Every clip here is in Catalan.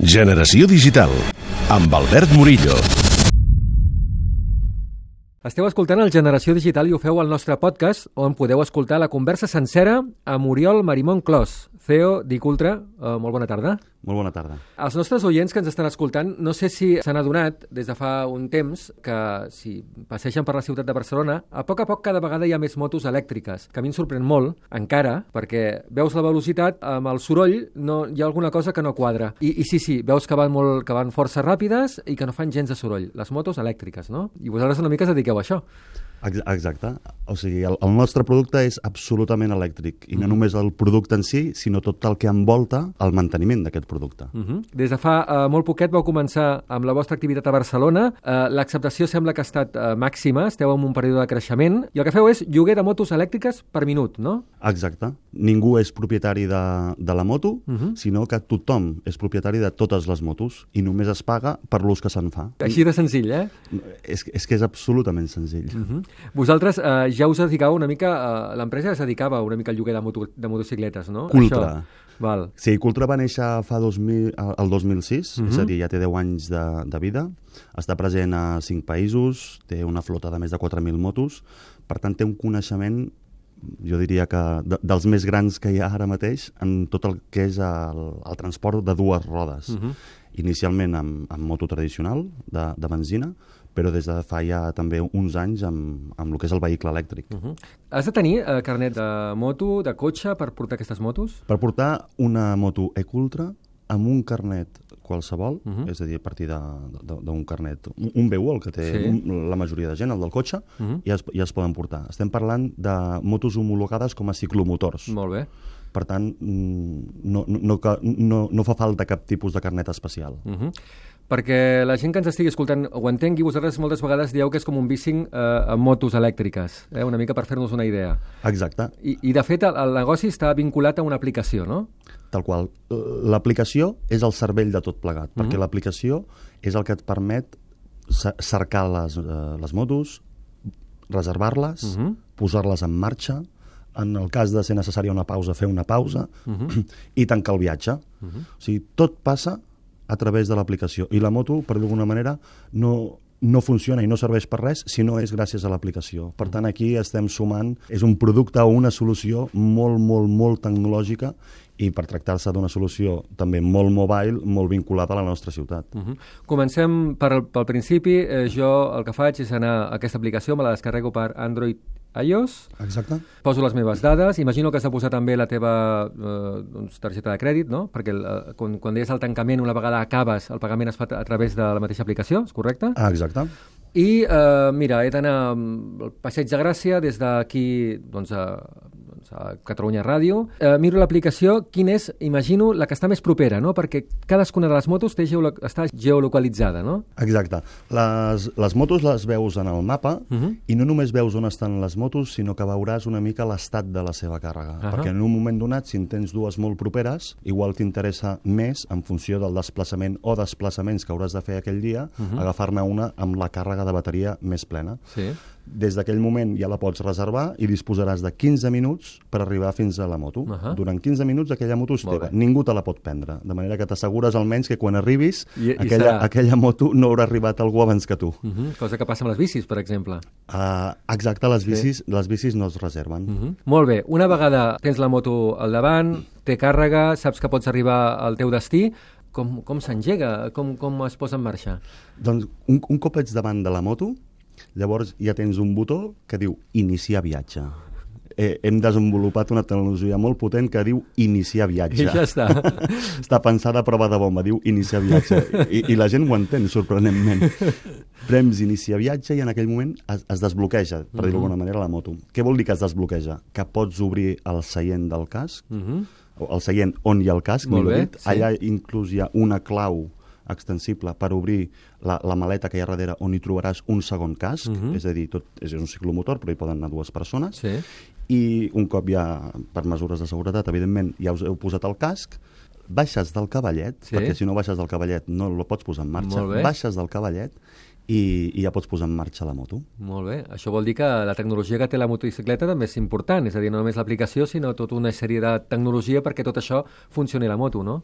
Generació Digital, amb Albert Murillo. Esteu escoltant el Generació Digital i ho feu al nostre podcast, on podeu escoltar la conversa sencera amb Oriol Marimón Clos, CEO d'Icultra. Molt bona tarda. Molt bona tarda. Els nostres oients que ens estan escoltant, no sé si s'han adonat des de fa un temps que si passegen per la ciutat de Barcelona, a poc cada vegada hi ha més motos elèctriques, que a mi em sorprèn molt, encara, perquè veus la velocitat, amb el soroll hi ha alguna cosa que no quadra. I sí, veus que van força ràpides i que no fan gens de soroll. Les motos elèctriques, no? I vosaltres una mica us dediqueu a això. Exacte. O sigui, el nostre producte és absolutament elèctric, i no només el producte en si, sinó tot el que envolta el manteniment d'aquest producte. Des de fa molt poquet vau començar amb la vostra activitat a Barcelona. L'acceptació sembla que ha estat màxima, esteu en un període de creixement, i el que feu és lloguer de motos elèctriques per minut, no? Exacte. Ningú és propietari de la moto, sinó que tothom és propietari de totes les motos, i només es paga per l'ús que se'n fa. Així de senzill, eh? És que és absolutament senzill. Vosaltres ja us dedicàveu una mica, l'empresa es dedicava una mica al lloguer de motocicletes, no? Cultra. Val. Sí, Cultra va néixer el 2006, és a dir, ja té 10 anys de vida, està present a 5 països, té una flota de més de 4.000 motos, per tant té un coneixement, jo diria que dels més grans que hi ha ara mateix en tot el que és el transport de dues rodes. Inicialment amb moto tradicional, de benzina, però des de fa ja també uns anys amb el que és el vehicle elèctric. Has de tenir carnet de moto, de cotxe, per portar aquestes motos? Per portar una moto Ecultra amb un carnet qualsevol, és a dir, a partir d'un carnet, un B1, el que té la majoria de gent, el del cotxe, ja es poden portar. Estem parlant de motos homologades com a ciclomotors. Molt bé. Per tant, no fa falta cap tipus de carnet especial. Perquè la gent que ens estigui escoltant ho entengui, vosaltres moltes vegades dieu que és com un bicing amb motos elèctriques, una mica per fer-nos una idea. Exacte. I de fet el negoci està vinculat a una aplicació, no? Tal qual. L'aplicació és el cervell de tot plegat, perquè l'aplicació és el que et permet cercar les motos, reservar-les, posar-les en marxa, en el cas de ser necessària una pausa, fer una pausa, i tancar el viatge. O sigui, tot passa a través de l'aplicació. I la moto, per d'alguna manera, no funciona i no serveix per res si no és gràcies a l'aplicació. Per tant, aquí estem sumant, és un producte o una solució molt tecnològica, i per tractar-se d'una solució també molt mobile, molt vinculada a la nostra ciutat. Comencem pel principi. Jo el que faig és anar a aquesta aplicació, me la descarrego per Android, iOS. Exacte. Poso les meves dades. Imagino que has de posar també la teva targeta de crèdit, no? Perquè quan deies el tancament, una vegada acabes, el pagament es fa a través de la mateixa aplicació, és correcte? Exacte. I, mira, he d'anar al Passeig de Gràcia des d'aquí, a Catalunya Ràdio. Miro l'aplicació, quina és, imagino, la que està més propera, no? Perquè cadascuna de les motos està geolocalitzada, no? Exacte. Les motos les veus en el mapa, i no només veus on estan les motos, sinó que veuràs una mica l'estat de la seva càrrega. Perquè en un moment donat, si en tens dues molt properes, igual t'interessa més, en funció del desplaçament o desplaçaments que hauràs de fer aquell dia, agafar-ne una amb la càrrega de bateria més plena. Sí. Des d'aquell moment ja la pots reservar i disposaràs de 15 minuts per arribar fins a la moto. Durant 15 minuts aquella moto és teva. Ningú te la pot prendre. De manera que t'assegures almenys que quan arribis aquella moto no haurà arribat algú abans que tu. Cosa que passa amb les bicis, per exemple. Exacte, les bicis no es reserven. Molt bé. Una vegada tens la moto al davant, té càrrega, saps que pots arribar al teu destí, com s'engega? Com es posa en marxa? Doncs un cop ets davant de la moto, llavors ja tens un botó que diu iniciar viatge. Hem desenvolupat una tecnologia molt potent que diu iniciar viatge. I ja està. Està pensada a prova de bomba, diu iniciar viatge. I la gent ho entén, sorprenentment. Prems iniciar viatge i en aquell moment es desbloqueja, per dir-ho d'alguna manera, la moto. Què vol dir que es desbloqueja? Que pots obrir el seient del casc, el seient on hi ha el casc, millor dit. Allà inclús hi ha una clau extensible per obrir la maleta que hi ha darrere, on hi trobaràs un segon casc, és a dir, és un ciclomotor, però hi poden anar dues persones, i un cop ja, per mesures de seguretat, evidentment, ja us heu posat el casc, baixes del cavallet, perquè si no baixes del cavallet no el pots posar en marxa, baixes del cavallet i ja pots posar en marxa la moto. Molt bé. Això vol dir que la tecnologia que té la motocicleta també és important, és a dir, no només l'aplicació, sinó tota una sèrie de tecnologia perquè tot això funcioni a la moto, no?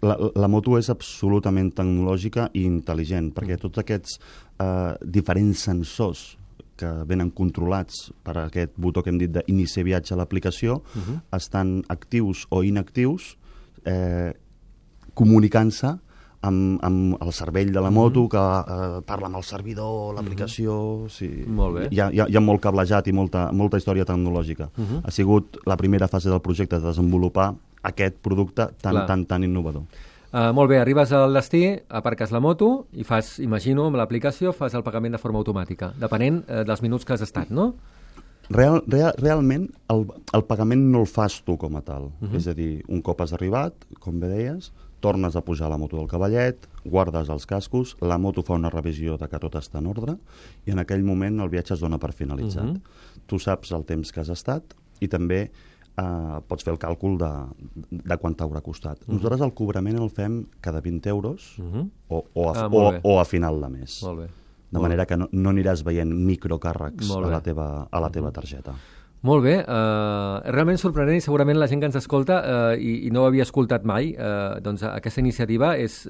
La moto és absolutament tecnològica i intel·ligent, perquè tots aquests diferents sensors que venen controlats per aquest botó que hem dit d'iniciar viatge a l'aplicació estan actius o inactius comunicant-se amb el cervell de la moto, que parla amb el servidor, l'aplicació... Sí. Molt bé. Hi ha molt cablejat i molta història tecnològica. Ha sigut la primera fase del projecte de desenvolupar aquest producte tan innovador. Molt bé, arribes al destí, aparques la moto i fas, imagino, amb l'aplicació, fas el pagament de forma automàtica, depenent dels minuts que has estat, no? Realment, el pagament no el fas tu com a tal. És a dir, un cop has arribat, com bé deies, tornes a pujar la moto del cavallet, guardes els cascos, la moto fa una revisió de que tot està en ordre i en aquell moment el viatge es dona per finalitzat. Tu saps el temps que has estat i també pots fer el càlcul de quant t'haurà costat. Nosaltres el cobrament el fem cada 20 euros o a final de mes. Molt bé. De manera que no aniràs veient microcàrrecs a la teva targeta. Molt bé, realment sorprenent i segurament la gent que ens escolta i no ho havia escoltat mai, doncs aquesta iniciativa és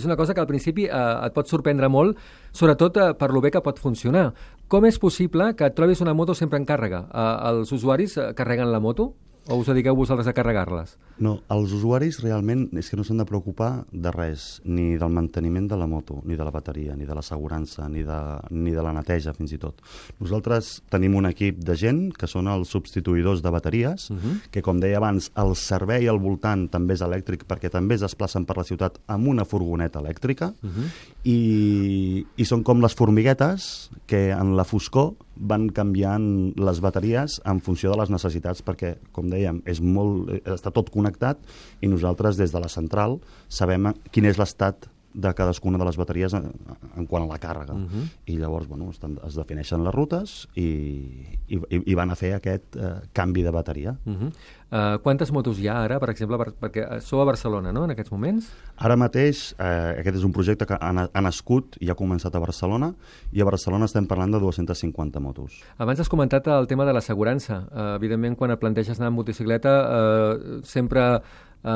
una cosa que al principi et pot sorprendre molt, sobretot per lo bé que pot funcionar. Com és possible que et trobis una moto sempre en càrrega? Els usuaris carreguen la moto? O us dediqueu vosaltres a carregar-les? No, els usuaris realment és que no s'han de preocupar de res, ni del manteniment de la moto, ni de la bateria, ni de l'assegurança, ni de la neteja, fins i tot. Nosaltres tenim un equip de gent que són els substituïdors de bateries, que, com deia abans, el servei al voltant també és elèctric, perquè també es desplacen per la ciutat amb una furgoneta elèctrica, i són com les formiguetes que en la foscor van canviant les bateries en funció de les necessitats, perquè, com dèiem, està tot connectat i nosaltres des de la central sabem quin és l'estat de cadascuna de les bateries en quant a la càrrega. I llavors es defineixen les rutes i van a fer aquest canvi de bateria. Quantes motos hi ha ara, per exemple, perquè sou a Barcelona, no?, en aquests moments? Ara mateix, aquest és un projecte que ha nascut i ha començat a Barcelona, i a Barcelona estem parlant de 250 motos. Abans has comentat el tema de l'assegurança. Evidentment, quan et planteges anar en motocicleta, sempre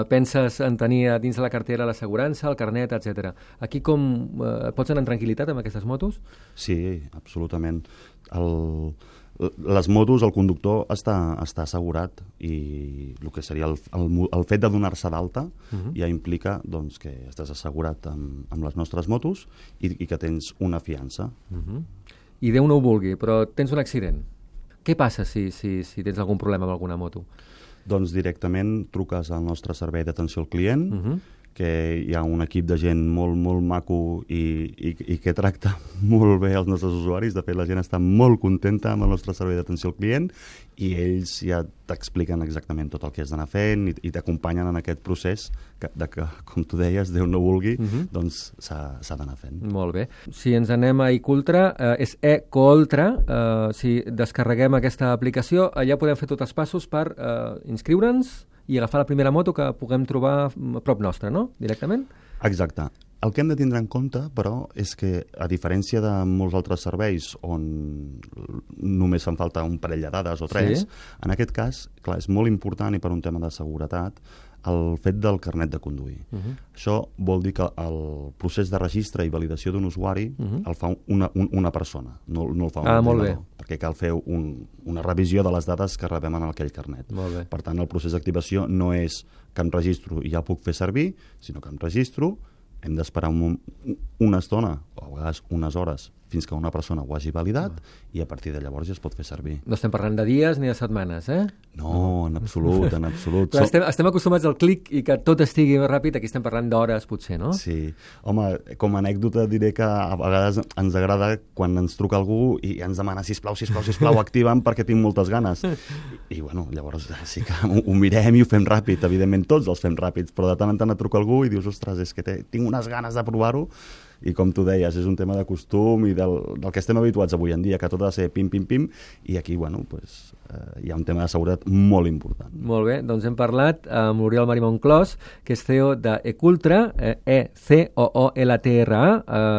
penses en tenir dins de la cartera l'assegurança, el carnet, etc. Aquí pots anar amb tranquil·litat amb aquestes motos? Sí, absolutament. Les motos, el conductor està assegurat, i el que seria el fet de donar-se d'alta ja implica que estàs assegurat amb les nostres motos i que tens una fiança. I Déu no ho vulgui, però tens un accident. Què passa si tens algun problema amb alguna moto? Doncs directament truques al nostre servei d'atenció al client, que hi ha un equip de gent molt, molt maco i que tracta molt bé els nostres usuaris. De fet, la gent està molt contenta amb el nostre servei d'atenció al client i ells ja t'expliquen exactament tot el que has d'anar fent i t'acompanyen en aquest procés que, com tu deies, Déu no vulgui, doncs s'ha d'anar fent. Molt bé. Si ens anem a eCultra, és eColtra. Si descarreguem aquesta aplicació, allà podem fer tots els passos per inscriure'ns i agafar la primera moto que puguem trobar a prop nostre, no?, directament? Exacte. El que hem de tindre en compte, però, és que, a diferència de molts altres serveis on només fan falta un parell de dades o tres, en aquest cas, clar, és molt important, i per un tema de seguretat, el fet del carnet de conduir. Això vol dir que el procés de registre i validació d'un usuari el fa una persona, no el fa un ordinador, perquè cal fer una revisió de les dades que rebem en aquell carnet. Per tant, el procés d'activació no és que em registro i ja puc fer servir, sinó que em registro, hem d'esperar una estona, o a vegades unes hores, fins que una persona ho hagi validat, i a partir de llavors ja es pot fer servir. No estem parlant de dies ni de setmanes, eh? No, en absolut, en absolut. Però estem acostumats al clic i que tot estigui ràpid, aquí estem parlant d'hores, potser, no? Sí. Home, com a anècdota diré que a vegades ens agrada quan ens truca algú i ens demana sisplau, activa'm perquè tinc moltes ganes. I bueno, llavors sí que ho mirem i ho fem ràpid, evidentment tots els fem ràpids, però de tant en tant et truca algú i dius, ostres, és que tinc unes ganes de provar-ho. I com tu deies, és un tema de costum i del que estem habituats avui en dia, que tot ha de ser pim, pim, pim, i aquí, bueno, pues, hi ha un tema de seguretat molt important. Molt bé, doncs hem parlat amb l'Oriol Marimon Clos, que és CEO d'eCultra, eCooltra.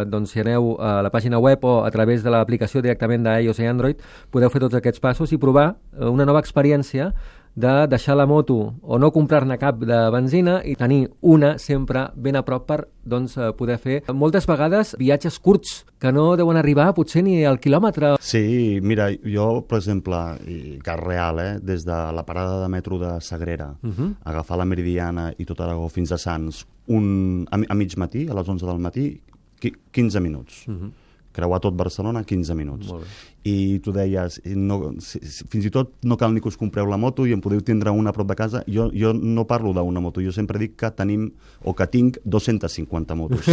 Doncs si aneu a la pàgina web o a través de l'aplicació directament d'iOS i Android, podeu fer tots aquests passos i provar una nova experiència de deixar la moto o no comprar-ne cap de benzina i tenir una sempre ben a prop per doncs, poder fer moltes vegades viatges curts que no deuen arribar potser ni al quilòmetre. Sí, mira, jo, per exemple, i cas real, des de la parada de metro de Sagrera, agafar la Meridiana i tot Aragó fins a Sants, a mig matí, a les 11 del matí, 15 minuts. Creuar tot Barcelona 15 minuts. I tu deies, fins i tot no cal ni que us compreu la moto i en podeu tindre una a prop de casa. Jo no parlo d'una moto, jo sempre dic que tenim o que tinc 250 motos.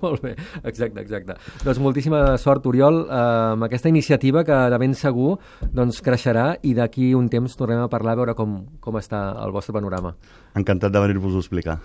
Molt bé, exacte. Doncs moltíssima sort, Oriol, amb aquesta iniciativa que de ben segur doncs, creixerà i d'aquí un temps tornem a parlar a veure com està el vostre panorama. Encantat de venir-vos-ho a explicar.